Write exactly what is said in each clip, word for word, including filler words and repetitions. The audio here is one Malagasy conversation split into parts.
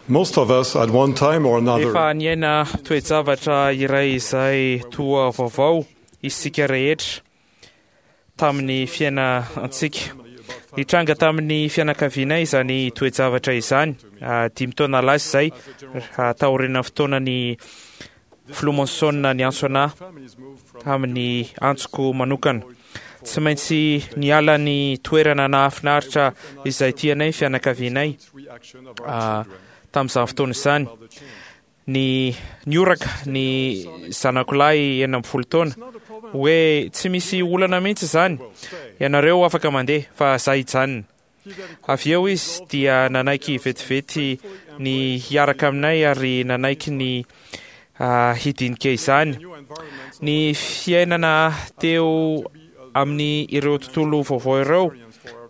Most of us, at one time or another, Efa niaina toe-javatra iray izay toa vaovao isika rehetra tamin'ny fiainantsika. Nitranga tamin'ny fianakavianay izany toe-javatra izany ah, dimy taona lasa izay, ah, taorian'ny fotoanan'ny filoha Monson niantso anahy tamin'ny antsoko manokana. Tsy maintsy niala ny toerana nahafinaritra izay tianay ny fianakavianay ah, tamin'izany fotoana izany. Ny nioraka ny zanako lahy enina ambin'ny folo taona hoe tsy misy olana mihitsy izany, ianareo afaka mandeha fa za hijanona. Avy eo izy dia nanaiky vetivety ny hiaraka aminay ary nanaiky ny ah, hidinika izany. Ny fiainana teo amin'ny ireo tontolo vaovao ireo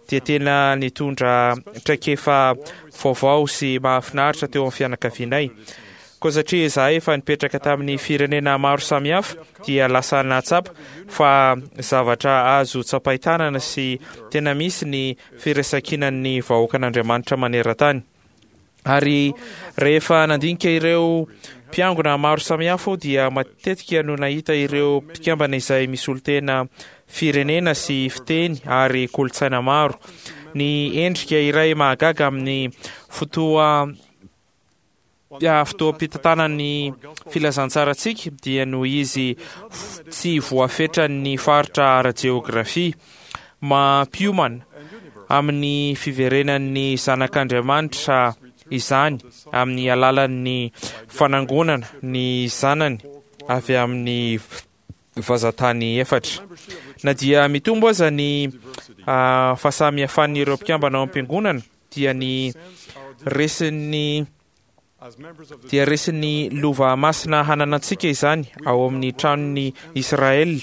dia tena nitondra traikefa vaovao sy mahafinaritra teo amin'ny fianakavianay. Koa satria izahay efa nipetraka tamin'ny firenena maro samihafa dia lasa nahatsapa fa zavatra azo tsapain-tanana sy tena misy ny firaisankinan'ny vahoakan'Andriamanitra maneran-tany. Ary rehefa nandinika ireo mpiangona maro samihafa aho dia matetika no nahita ireo mpikambana izay misolo-tena firenena sy fiteny ary kolontsaina maro. Ny endrika iray mahagaga amin'ny fotoa fotoam-pitantanan'ny filazantsarantsika dia noho izy tsy voafetran'ny faritra ara-jeografia. Mampiomana amin'ny fiverenan'ny zanak'Andriamanitra izany amin'ny alalan'ny fanangonana ny zanany avy amin'ny vazantany efatra. Na dia mitombo aza ny ah, fahasamihafan'ireo mpikambana ao am-piangonana dia ny resin'ny dia resin'ny lova masina hananantsika izany ao amin'ny tranon'ny Israel,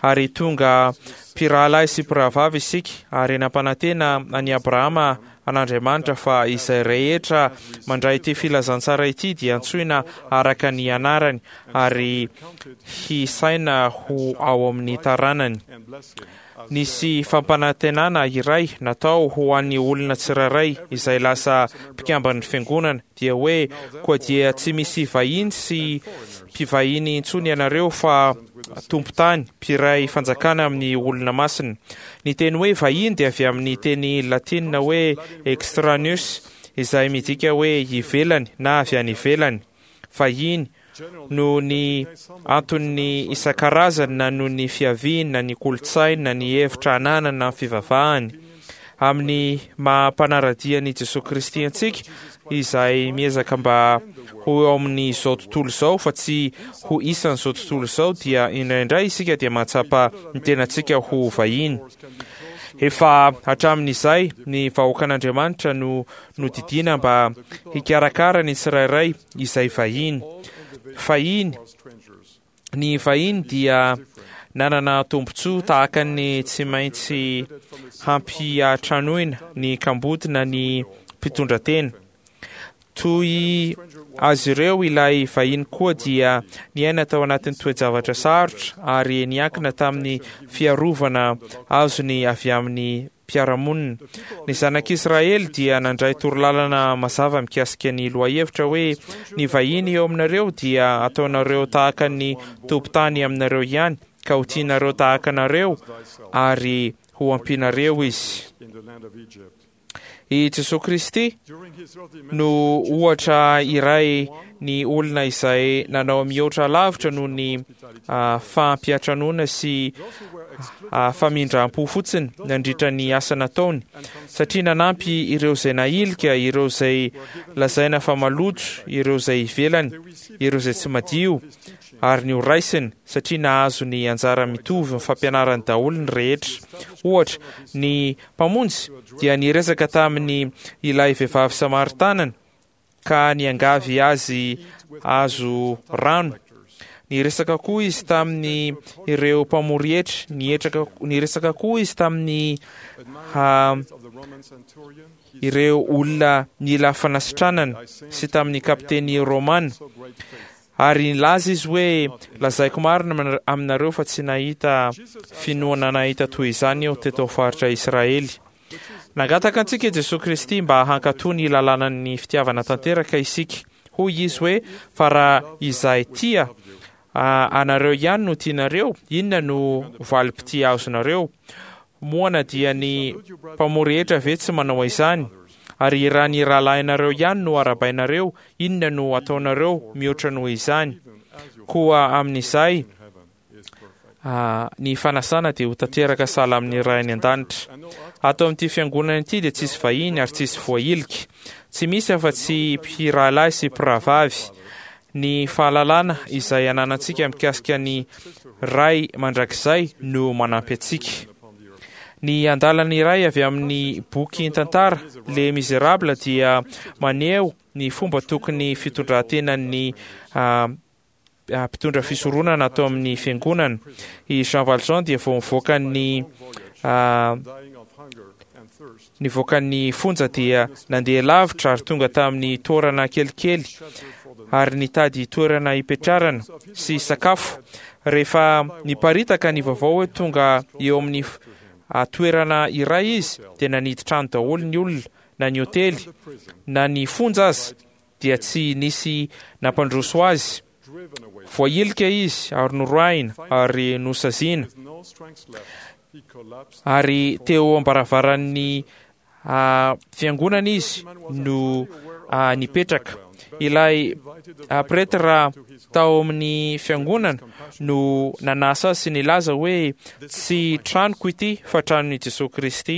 ary tonga mpirahalahy sy mpirahavavy isika, ary nampanantena an'i Abrahama an'Andriamanitra fa izay rehetra mandray ity filazantsara ity dia antsoina araka ny anarany ary hisaina ho ao amin'ny taranany. Nisy fampanantenana iray natao ho an'ny olona tsirairay izay lasa mpikamban'ny fiangonana, dia hoe koa dia tsy misy vahiny sy mpivahiny intsony ianareo fa tompon-tany, mpiray fanjakana amin'ny olona masina. Ny teny hoe vahiny dia avy amin'ny teny latinina hoe extraneus, izay midika hoe ivelany na avy any ivelany. Vahiny noho ny anton'ny isan-karazany na noho ny fiaviany na ny kolontsainy na ny hevitra ananany na ny fivavahany. Amin'ny maha mpanara-dia an'i Jesoa Kristy antsika izay miezaka mba ho eo amin'izao tontolo izao fa tsy ho isan'izao tontolo izao, dia indraindray isika dia mahatsapa ny tenantsika ho vahiny. Efa hatramin'izay ny vahoakan'Andriamanitra no nodidiana mba hikarakara ny tsirairay izay vahiny. Fahiny, ny vahiny dia nanana tombontsoa tahaka ny tsy maintsy hampiantranoina ny kamboty na ny mpitondratena. Toy azy ireo ilay vahiny koa dia niaina tao anatin'ny toe-javatra sarotra ary niankina tamin'ny fiarovana azony avy amin'ny mpiara-monina. Ny zanak'Israely dia nandray torolalana mazava mikasika ny lohahevitra hoe ny vahiny eo aminareo dia ataonareo tahaka ny tompon-tany aminareo ihany, ka ho tianareo tahaka anareo ary ho ampianareo izy. I Jesoa Kristy no ohatra iray ny olona izay nanao mihoatra lavitra noho ny ah, fampiantranoana sy ah, famindram-po fotsiny nandritra ny asa nataony, satria nanampy ireo izay nahilika, ireo izay lazaina fa maloto, ireo izay ivelany, ireo izay tsy madio, ary ny ho raisiny, satria nahazo ny anjara mitovy ny fampianarany daholo ny rehetra. Ohatra, ny Mpamonjy dia niresaka tamin'ny ilay vehivavy samaritanana ka niangavy azy azo rano. Niresaka koa izy tamin'ny ireo mpamory hetra, nietraka, niresaka koa izy tamin'ny ha, ireo olona nila fanasitranana sy tamin'ny kapiteny romana. Ary nilaza izy hoe, Lazaiko marina aminareo fa tsy nahita finoana nahita toy izany aho teto faritra Israely. Nangataka antsika Jesosy Kristy mba hankatò ny lalànan'ny fitiavana tanteraka isika. Hoy izy hoe, fa raha izay tia anareo ihany no tianareo, inona no valim-pitia azonareo? Moa na dia ny mpamory hetra ve tsy manao izany? Ary raha ny rahalahinareo ihany no arahabainareo, inona no ataonareo mihoatra noho izany? Koa amin'izay ny fanasana dia ho tanteraka sahala amin'ny Ray any an-danitra. Ato amin'ity fiangonana ity dia tsisy vahiny ary tsisy voahilika. Tsy misy afa-tsy mpirahalahy sy mpirahavavy. Ny fahalalana izay ananantsika mikasika ny Ray mandrakizay no manampy antsika. Ny andalana iray avy amin'ny boky tantara Les Misérables dia maneho ny fomba tokony fitondran-tenan'ny mpitondra fisoronana ato amin'ny fiangonana. I Jean Valjean dia vao nivoaka ny nivoaka ny fonja dia nandeha lavitra ary tonga tamin'ny toerana kelikely ary nitady toerana hipetrarana sy sakafo. Rehefa niparitaka ny vaovao hoe tonga eo amin'ny toerana iray izy dia nanidy trano daholo ny olona, na ny hotely na ny fonja aza dia tsy nisy nampandroso azy. Voahilika izy ary noroahina ary nosaziana. Ary teo am-baravaran'ny fiangonana izy no nipetraka. Ilay pretra tao amin'ny fiangonana no nanasa azy sy nilaza hoe, tsy tranoko ity fa tranon'i Jesosy Kristy.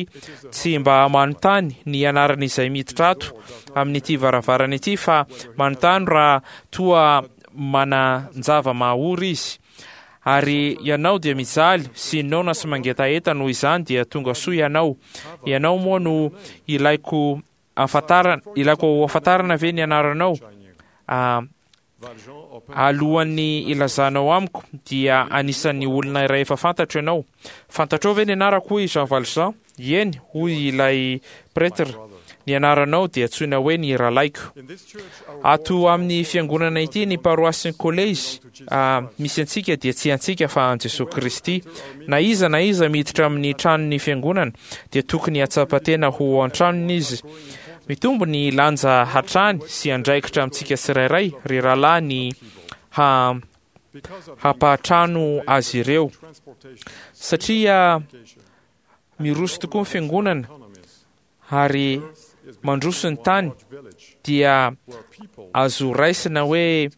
Tsy mba manontany ny anaran'izay miditra ato amin'ity varavarana ity fa manontany raha toa manan-java mahaory izy. Ary ianao dia mijaly sy noana sy mangetaheta, noho izany dia tonga soa ianao. Ianao moa no ilaiko ahafantarana, ilaiko ahafantarana ve ny anaranao? Alohan'ny ilazanao amiko dia anisan'ny olona iray efa fantatro ianao. Fantatrao ve ny anarako? Hoy Jean Valjean. Eny, hoy ilay pretre. Ny anaranao dia antsoina hoe ny rahalaiko. Ato amin'ny fiangonana ity, ny paroasy sy ny kolejy misy antsika dia tsy antsika fa an'i Jesosy Kristy. Na iza na iza miditra amin'ny tranon'ny fiangonana dia tokony hahatsapa tena ho an-tranony izy. Mitombo ny lanja hatrany sy andraikitra amintsika tsirairay, ry rahalahy, ny hampatrano azy ireo. Satria miroso tokoa ny fiangonana ary mandroso ny tany, dia azo raisina hoe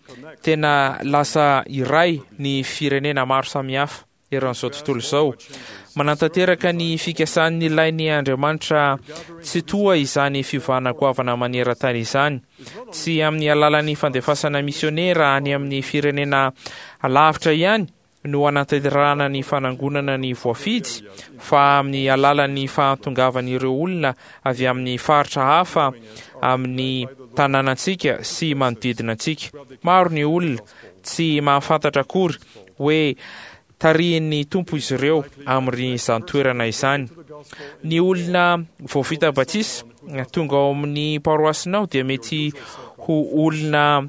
tena lasa iray ny firenena maro samihafa eran'izao tontolo izao. Manatanteraka ny fikasan'ny ilain'ny Andriamanitra tsy toa izany fiovana goavana maneran-tany izany. Tsy amin'ny alalan'ny fandefasana misionera any amin'ny firenena lavitra ihany no anatanterahana ny fanangonana ny voafidy, fa amin'ny alalan'ny fahatongavan'ireo olona avy amin'ny faritra hafa amin'ny tanànantsika sy manodidina antsika. Maro ny olona tsy mahafantatra akory hoe tarihin'ny Tompo izy ireo amin'izany toerana izany. Ny olona vao vita batisa tonga ao amin'ny paroasinao dia mety ho olona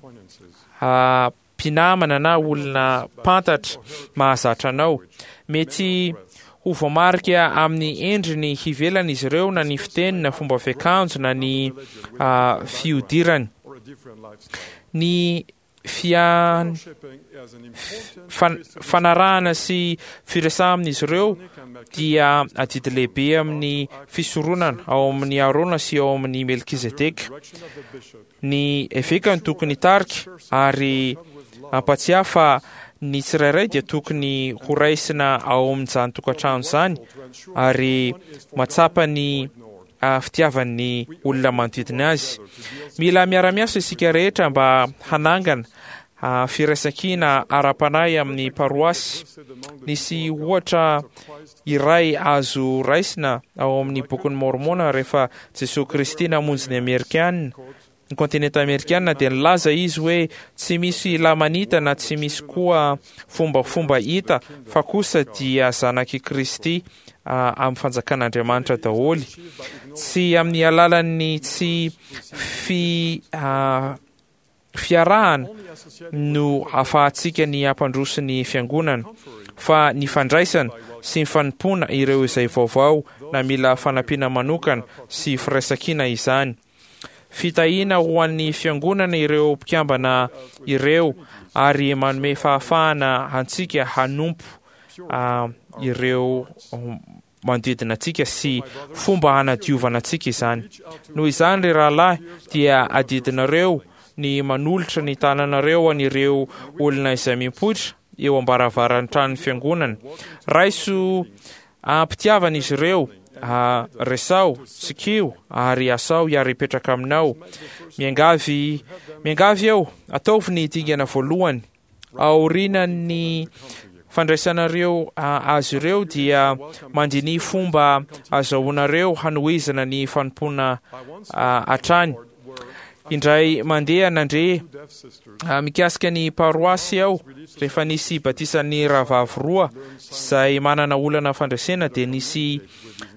mpinamana na olona mpantatra mahazatra anao. Mety ho voamarika amin'ny endriny ivelany izy ireo, na ny fiteny, na fomba fiakanjo, na ny fihodirany. Ny fian fanarahana sy firesahana amin'izy ireo dia adidy lehibe amin'ny fisoronana ao amin'ny Arona sy ao amin'ny Melkizedeka. Ny eveka no tokony hitarika ary hampatsiahy fa ny tsirairay dia tokony ho raisina ao amin'izany tokantrano izany ary matsapa ny fitiavan'ny olona manodidina azy. Mila miara-miasa isika rehetra mba hanangana firaisankina ara-panahy amin'ny paroasy. Nisy ohatra iray azo raisina ao amin'ny bokin'ny Mormona rehefa Jesosy Kristy namonjy ny Amerikana, ny kontinenta amerikana, dia nilaza izy hoe tsy misy lamanita na tsy misy koa fombafomba hita, fa kosa dia zanak'i Kristy amin'ny fanjakan'Andriamanitra daholo. Tsy amin'ny alalan'ny tsy fi fiarahana no ahafahantsika ny hampandroso ny fiangonana, fa ny fandraisana sy ny fanompoana ireo izay vaovao na mila fanampiana manokana sy firaisankina izany. Fitahiana ho an'ny fiangonana ireo mpikambana ireo ary manome fahafahana antsika hanompo ireo manodidina antsika sy fomba hanadiovana antsika izany. Noho izany, ry rahalahy, dia adidinareo ny manolotra ny tananareo an'ireo olona izay mipoitra eo am-baravaran'ny tranon'ny fiangonana. Raiso am-pitiavana izy ireo, resaho, tsikio ary asao hiara-hipetraka aminao. Miangavy, miangavy eo, ataovy ny dingana voalohany. Aorian'ny fandraisanareo azy ireo dia mandiniha fomba azahoanareo hanohizana ny fanompoana hatrany. Indray mandeha nandre mikasika ny paroasy aho rehefa nisy batisan'ny rahavavy roa izay manana olana fandresena, dia nisy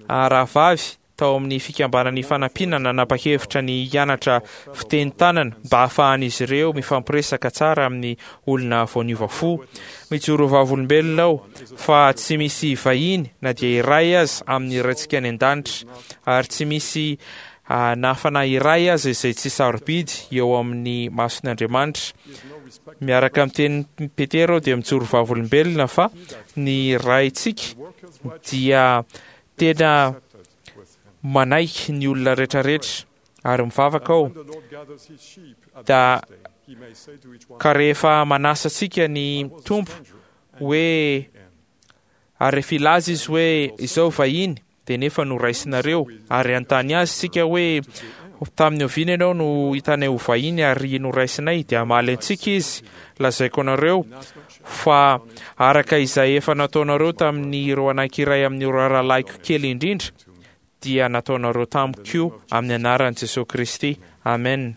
rahavavy tao amin'ny fikambanan'ny fanampiana nanapa-kevitra ny hianatra fiteny tanana mba hahafahan'izy ireo mifampiresaka tsara amin'ny olona vao niova fo. Mijoro vavolombelona aho fa tsy misy vahiny na dia iray aza amin'ny Raintsika any an-danitra, ary tsy misy na fanahy iray aza izay tsy sarobidy eo amin'ny mason'Andriamanitra. Miaraka amin'ny tenin'i Petera aho dia mijoro vavolombelona fa ny Raintsika dia tena manaiky ny olona rehetrarehetra, ary mivavaka aho da ka rehefa manasa antsika ny Tompo hoe, ary rehefa hilaza izy hoe izao vahiny, dia nefa noraisinareo, ary hanontany azy isika hoe tamin'ny oviana ianao no hitanay ho vahiny ary noraisinay, dia hamaly antsika izy, lazaiko anareo fa araka izay efa nataonareo tamin'ireo anankiray amin'ireo rahalahiko kely indrindra, dia nataonareo tamiko koa, amin'ny anaran'i Jesosy Kristy. Amen.